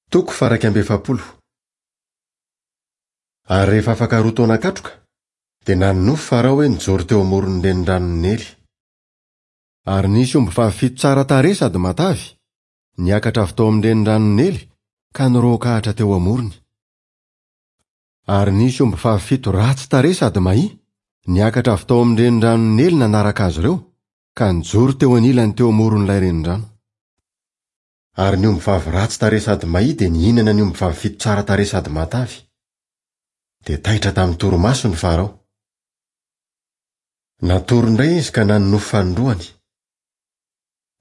Toko faha 41. Ary rehefa afaka roa taona katroka, dia nanonofy Farao hoe nijoro teo amoron'ny reniranon'i Neily. Ary nisy ombivavy fito tsara tarehy sady matavy, niakatra avy tao amin'ny reniranon'i Neily ka niroakahatra teo amorony. Ary nisy ombivavy fito ratsy tarehy sady mahia, niakatra avy tao amin'ny reniranon'i Neily nanaraka azy ireo, ka nijoro teo anilany teo amoron'ilay renirano. Ary ny ombivavy ratsy tarehy sady mahia dia nihinana ny ombivavy fito tsara tarehy sady matavy. Dia taitra tamin'ny torimasony Farao. Natory indray izy ka nanonofy fanindroany.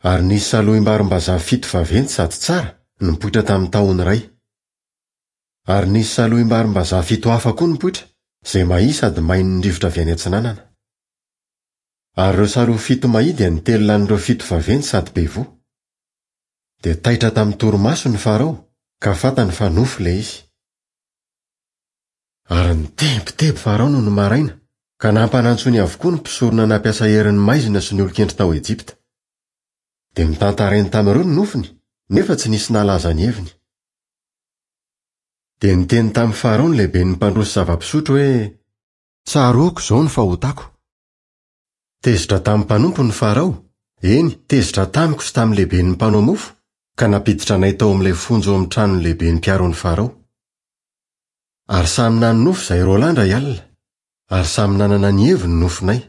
Ary nisy salohim-barimbazaha fito vaventy sady tsara nipoitra tamin'ny tahony iray. Ary nisy salohim-barimbazaha fito hafa koa nipoitra, izay mahia sady main'ny rivotra avy any atsinanana. Ary ireo salohy fito mahia dia nitelina an'ireo fito vaventy sady be voa. Dia taitra tamin'ny torimasony Farao, ka fantany fa nofy ilay izy. Ary nitebiteby Farao nony maraina, ka nampanantsoiny avokoa ny mpisorona nampiasa herin'ny maizina sy ny olon-kendry tao Ejipta. Dia notantarainy tamin'ireo ny nofiny, nefa tsy nisy nahalaza ny heviny. Dia niteny tamin'i Farao ny lehiben'ny mpandroso zava-pisotro hoe, Tsaroako izao ny fahotako. Tezitra tamin'ny mpanompony Farao, eny, tezitra tamiko sy tamin'ny lehiben'ny mpanao mofo, ka nampiditra anay tao amin'ilay fonja ao amin'ny tranon'ny lehiben'ny mpiaro an'i Farao. Ary samy nanonofy izahay roalahy indray alina, ary samy nanana ny heviny ny nofinay.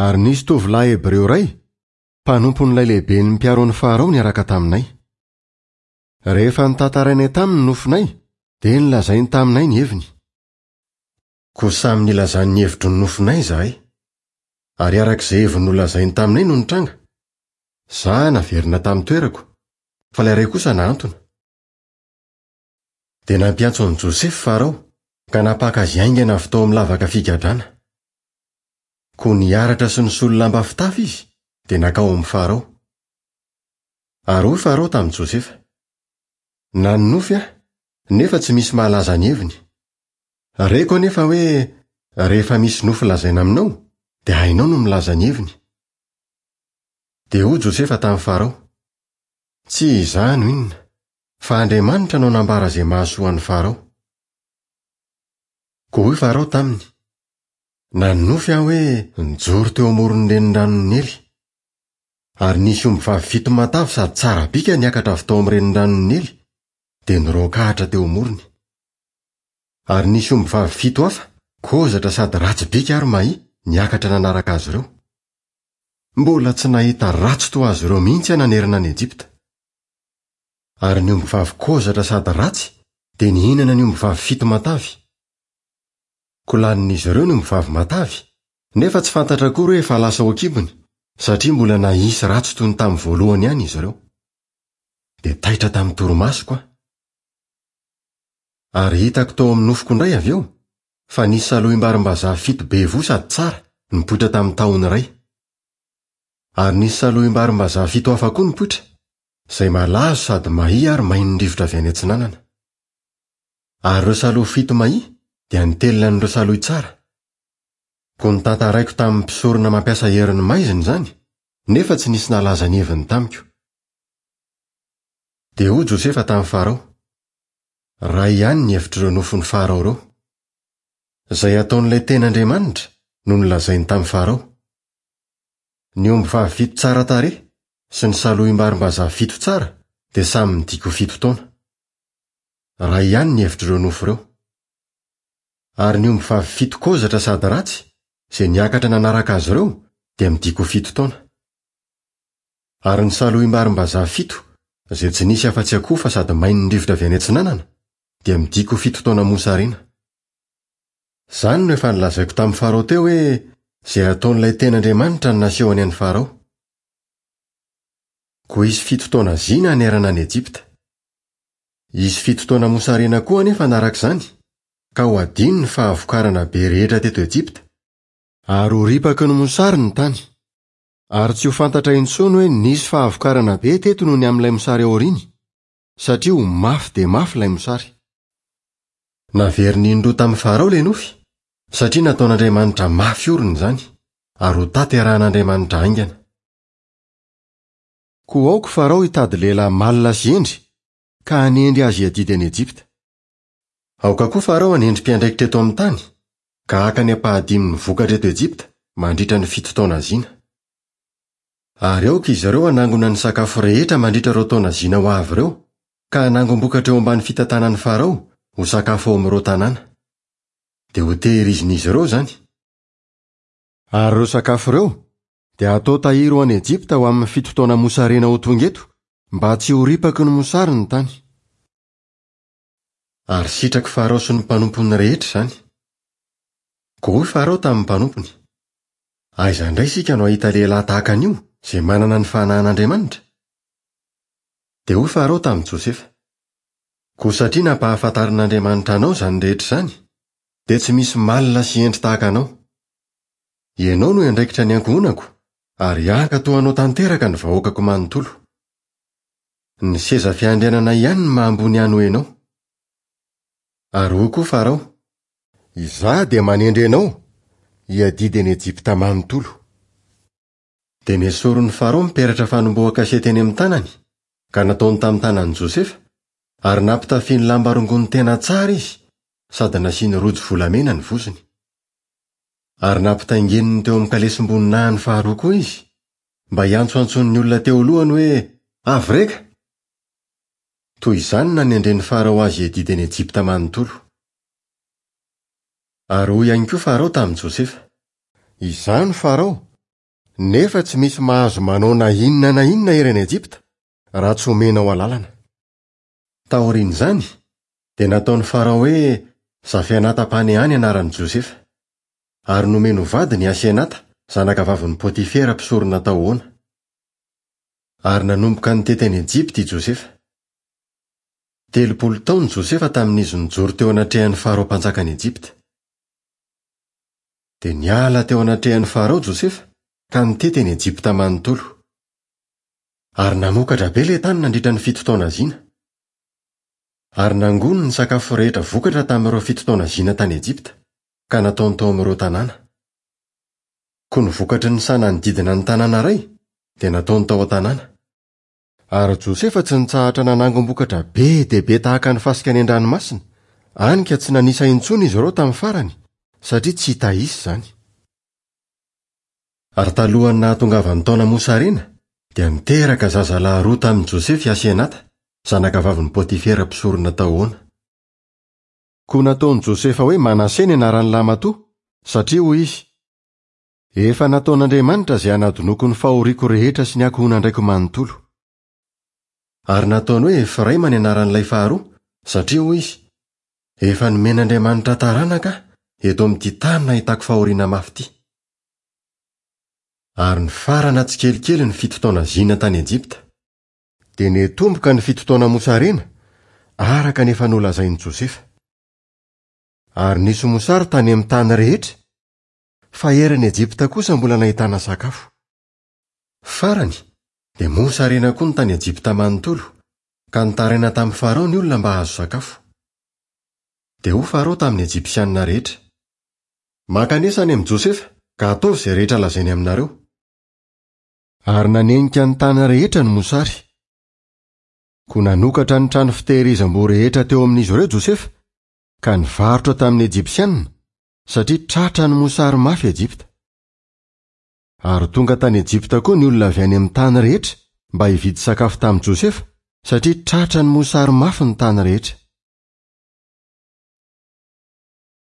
Ary nisy tovolahy hebreo iray, mpanompon'ilay lehiben'ny mpiaro an'i Farao niaraka taminay. Rehefa notantarainay taminy ny nofinay, dia nolazainy taminay ny heviny. Koa samy nilazany ny hevitry ny nofinay izahay. Ary araka izay heviny nolazainy taminay no nitranga. Izaho naverina tamin'ny toerako, fa ilay iray kosa nahantona. Dia nampiantso an'i Josefa Farao, ka nampaka azy haingana avy tao amin'ny lavaka figadrana. Koa niharatra sy nisolo lamba fitafy izy, dia nankao amin'i Farao. Ary hoy Farao tamin'i Josefa, Nanonofy aho, nefa tsy misy mahalaza ny heviny. Reko anefa hoe rehefa misy nofy lazaina aminao, dia hainao no milaza ny heviny. Dia hoy Josefa tamin'i Farao, Tsy izaho no inona, fa Andriamanitra no hanambara izay mahasoa an'i Farao. Koa hoy Farao taminy, Nanonofy aho hoe nijoro teo amoron'ny reniranon'i Neily. Ary nisy ombivavy fito matavy sady tsara bika niakatra avy tao amin'ny reniranon'i Neily, dia niroakahatra teo amorony. Ary nisy ombivavy fito hafa, kozatra sady ratsy bika ary mahia, niakatra nanaraka azy ireo. Mbola tsy nahita ratsy toa azy ireo mihitsy aho nanerana an'i Ejipta. Ary ny ombivavy kozatra sady ratsy dia nihinana ny ombivavy fito matavy. Koa lanin'izy ireo ny ombivavy matavy, nefa tsy fantatra akory hoe efa lasa ao an-kibony, satria mbola nahia sy ratsy toy ny tamin'ny voalohany ihany izy ireo. Dia taitra tamin'ny torimasoko aho. Ary hitako tao amin'ny nofiko indray avy eo, fa nisy salohim-barimbazaha fito be voa sady tsara, nipoitra tamin'ny tahony iray. Ary nisy salohim-barimbazaha fito hafa koa nipoitra, izay malazo sady mahia ary main'ny rivotra avy any atsinanana. Ary ireo salohy fito mahia dia nitelina an'ireo salohy tsara. Koa notantaraiko tamin'ny mpisorona mampiasa herin'ny maizina izany, nefa tsy nisy nahalaza ny heviny tamiko. Dia hoy Josefa tamin'i Farao, Iray ihany ny hevitr'ireo nofin'i Farao ireo. Izay ataon'ilay tena Andriamanitra no nolazainy tamin'i Farao. Ny ombivavy fito tsara tarehy sy ny salohim-barimbazaha fito tsara dia samy midika ho fito taona. Iray ihany ny hevitr'ireo nofy ireo. Ary ny ombivavy fito kozatra sady ratsy, izay niakatra nanaraka azy ireo, dia midika ho fito taona. Ary ny salohim-barimbazaha fito, izay tsy nisy afa-tsy akofa sady main'ny rivotra avy any atsinanana, dia midika ho fito taona mosarena. Izany no efa nolazaiko tamin'i Farao teo hoe izay ataon'ilay tena Andriamanitra no nasehony an'i Farao. Koa hisy fito taona zina hanerana an'i Ejipta. Hisy fito taona mosarena koa anefa hanaraka izany, ka ho hadino ny fahavokarana be rehetra teto Ejipta. Ary ho ripaky ny mosary ny tany. Ary tsy ho fantatra intsony hoe nisy fahavokarana be teto noho ny amin'ilay mosary aoriany, satria ho mafy dia mafy ilay mosary. Naveriny indroa tamin'i Farao ilay nofy, satria nataon'Andriamanitra mafy orina izany, ary ho tanterahan'Andriamanitra haingana. Koa aoka Farao hitady lehilahy malina sy hendry, ka hanendry azy hiadidy an'i Ejipta. Aoka koa Farao hanendry mpiandraikitra eto amin'ny tany, ka haka ny ampahadimin'ny vokatra eto Ejipta mandritra ny fito taona zina. Ary aoka izy ireo hanangona ny sakafo rehetra mandritra ireo taona zina ho avy ireo, ka hanangom-bokatra eo ambany fitantanan'i Farao ho sakafo ao amin'ireo tanàna. Dia hotehirizin'izy ireo izany. Ary ireo sakafo ireo dia hatao tahiry ho any Ejipta ho amin'ny fito taona mosarena ho tonga eto, mba tsy ho ripaky ny mosary ny tany. Ary sitrak'i Farao sy ny mpanompony rehetra izany. Koa hoy Farao tamin'ny mpanompony, Aiza indray isika no hahita lehilahy tahaka an'io, izay manana ny fanahin'Andriamanitra? Dia hoy Farao tamin'i Josefa, Koa satria nampahafantarin'Andriamanitra anao izany rehetra izany, dia tsy misy malina sy hendry tahaka anao. Ianao no hiandraikitra ny ankohonako, ary hankatò anao tanteraka ny vahoakako manontolo. Ny seza fiandrianana ihany no maha ambony ahy noho ianao. Ary hoy koa Farao, Izaho dia manendry anao hiadidy an'i Ejipta manontolo. Dia nesorin'i Farao ny peratra fanombohan-kase teny amin'ny tanany, ka nataony tamin'ny tanan'i Josefa, ary nampitafiany lamba rongony tena tsara izy, sady nasiany rojo volamena ny vozony. Ary nampitaingeniny teo amin'ny kalesim-boninahiny faharoa koa izy, mba hiantsoantsoan'ny olona teo alohany hoe, Avreka! Toy izany no nanendren'i Farao azy hiadidy an'i Ejipta manontolo. Ary hoy ihany koa Farao tamin'i Josefa, Izaho no Farao, nefa tsy misy mahazo manao na inona na inona eran'i Ejipta, raha tsy omenao alalana. Taorian'izany, dia nataon'i Farao hoe Zafenata-Paneha ny anaran'i Josefa. Ary nomeny ho vadiny i Asenata, zanakavavin'i Potifera mpisorona tao Ona. Ary nanomboka nitety an'i Ejipta i Josefa. 30 taona i Josefa tamin'izy nijoro teo anatrehan'i Farao mpanjakan'i Ejipta. Dia niala teo anatrehan'i Farao Josefa ka nitety an'i Ejipta manontolo. Ary namokatra be ilay tany nandritra ny fito taona zina. Ary nangoniny ny sakafo rehetra vokatra tamin'ireo fito taona zina tany Ejipta, ka nataony tao amin'ireo tanàna. Koa ny vokatry ny saha nanodidina ny tanàna iray dia nataony tao an-tanàna. Ary Josefa tsy nitsahatra nanangom-bokatra be dia be tahaka ny fasika any an-dranomasina, hany ka tsy nanisa intsony izy ireo tamin'ny farany, satria tsy hita isa izany. Ary talohan'ny nahatongavan'ny taona mosarena, dia niteraka zazalahy roa tamin'i Josefa i Asenata, zanakavavin'i Potifera mpisorona tao Ona. Koa nataon'i Josefa hoe Manase ny anaran'ny lahimatoa, satria hoy izy, Efa nataon'Andriamanitra izay hanadinoako ny fahoriako rehetra sy ny ankohonan-draiko manontolo. Ary nataony hoe Efraima ny anaran'ilay faharoa, satria hoy izy, Efa nomen'Andriamanitra taranaka aho eto amin'ity tany nahitako fahoriana mafy ity. Ary nifarana tsikelikely ny fito taona zina tany Ejipta. Dia nitomboka ny fito taona mosarena, araka ny efa nolazain'i Josefa. Ary nisy mosary tany amin'ny tany rehetra, fa eran'i Ejipta kosa mbola nahitana sakafo. Farany, dia mosarena koa ny tany Ejipta manontolo, ka nitaraina tamin'i Farao ny olona mba hahazo sakafo. Dia hoy Farao tamin'ny Ejipsianina rehetra, Mankanesa any amin'i Josefa, ka ataovy izay rehetra lazainy aminareo. Ary nanenika ny tany rehetra ny mosary. Koa nanokatra ny trano fitehirizam-boa rehetra teo amin'izy ireo Josefa, ka nivarotra tamin'ny Ejipsianina, satria tratra ny mosary mafy Ejipta. Ary tonga tany Ejipta koa ny olona avy any amin'ny tany rehetra mba hividy sakafo tamin'i Josefa, satria tratra ny mosary mafy ny tany rehetra.